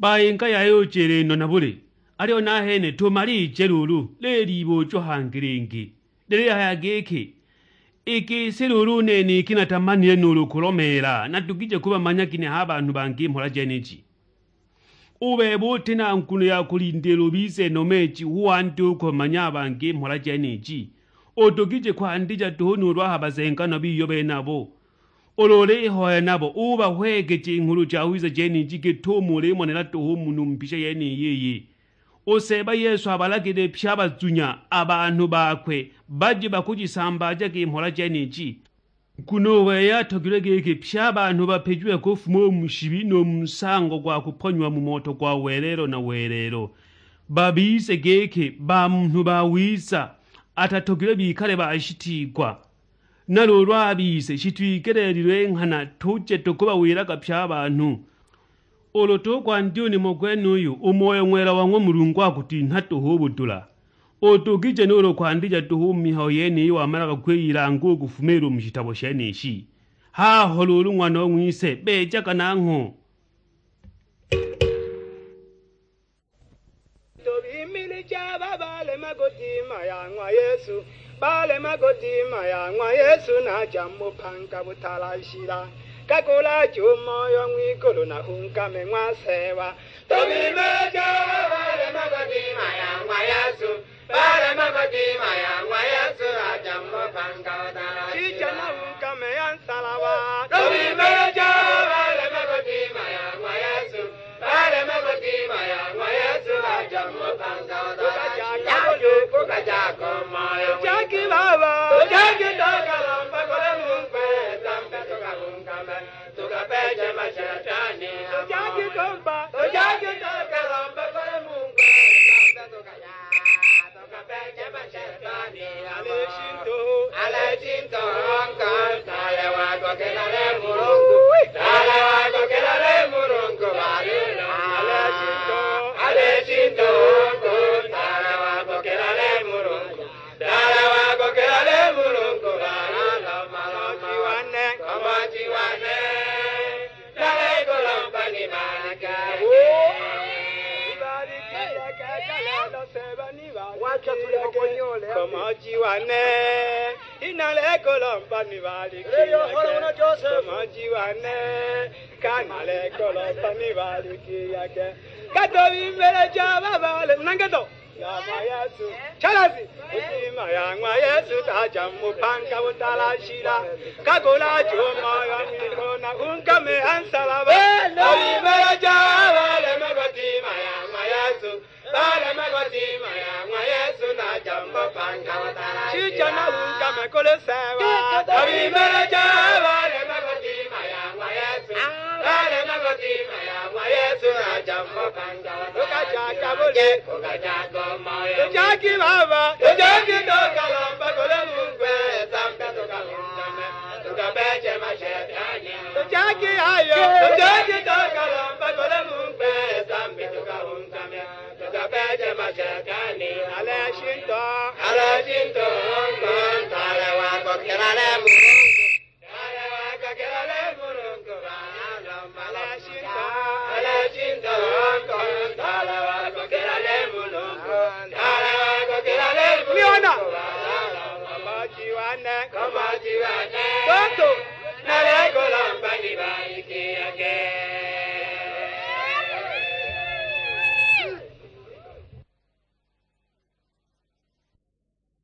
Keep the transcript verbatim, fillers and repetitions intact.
Bayinga yaya ujile no na buli? Aliyo nahene tumalije luulu, lilibūjo hangi lingi. Lilihaya giki, i gisi luulu u nene iki natamanile nuulu kulomeela, nadugije kubamanya ginehe a banhu bangi i mhola jeniji? U bebe uti na nguno ya kulindila ubize nomeeji hu wandye u kubamanya a bangi i mhola jeniji? Udugije kwandija duhu nuulu a ha bazenganwa biyo benabo? Ulu ulihoya nabo, ubahwegeje i Nghulu Jawiza jeniji git'umo ulimonela duhu u mu numpisha yeniyi iyi. U Seeba Yesu abalagile pye a bazunya, a banhu bakwe, baje bakujisambaajaga i mhola jeniji. Nguno u wei atogilwe giki pye a banhu bapijiwe kufuma u mu shibi nu mu nsango gwa kuponyiwa mu moto gwa welelo na welelo, babize giki ba munhu bawiza, atatogilwe bikale bashitiigwa. Na luulu a bise shitwigeleelilwe nghana tuje tukubawilaga pye a banhu. Ulu tukwandya u nimo gwenuyu, u Moyo Ng'wela wa ng'wa Mulungu akutinha duhu u budula. Udugije nuulu kwandija duhu u mu mihayo yeniyi wamalaga kwiyilanga u kufumiila u mu shitabo shenishi. Haho luulu ng'wanong'wise, beejaga nangho. Tubimilija aba balema kudima ya ng'wa Yesu, balema kudima ya ng'wa Yesu, naja mu bupanga butalashila. Kakulaja u Moyo ng'wigulu, nahungame ng'wa Seeba. Tubimilija aba balema kudima ya ng'wa Yesu, balema kudima ya ng'wa Yesu, naja mu bupanga butalashila. Shija nahungame ya nsalaba. Tubimilija aba balema kudima ya ng'wa Yesu. Balema kudima ya ng'wa Yesu, baja mu bupanga. Tukaja kabuli, tukaja ku Moyo. Tujagi Baba, tujagi tukalomba kuli Mulungu, Nzambi tukabungame, tukapeje mashetani. Tujagi kumba, tujagi tukalomba kuli Mulungu, Nzambi tukaja. Tukapeje mashetani, ale shinto, ale shinto, ntaale wako kelale Mulungu, ntaale wako kelale Mulungu, balilo. Ale shinto, ale shinto, ntaale wako kelale Mulungu, ntaale wako kelale Mulungu, balilo. Maloji wane, maloji wane. Komaji wane, inalekolomba nibaliki. Komaji wane, kanalekolomba nibaliki yake. Katobi mbele ja babale, nangeto. Ya ng'wa Yesu. Chalazi. Kudima ya ng'wa Yesu taja mu bupanga butalashila. Kagula chuma ya mikona, ungame ha nsalaba. Abimeleja baleme kudima ya ng'wa Yesu. Baleme kudima ya ng'wa Yesu, naja mu bupanga butalashila. Shija na ungame kuli Seeba. Abimeleja baleme kudima ya ng'wa Yesu. Baleme kudima ya ng'wa Yesu, naja mu bupanga. Tukajaga bule, tukajaga moyo. Tujagi Baba, tujagi tukalomba kuli Mulungu, Nzambi tukalungame, tukapeje mashetani. Tujagi ayo, tujagi tukalomba kuli Mulungu, Nzambi tukalungame, tukapeje mashetani. Ale shinto, ale shinto, ntale wako kelale Mulungu.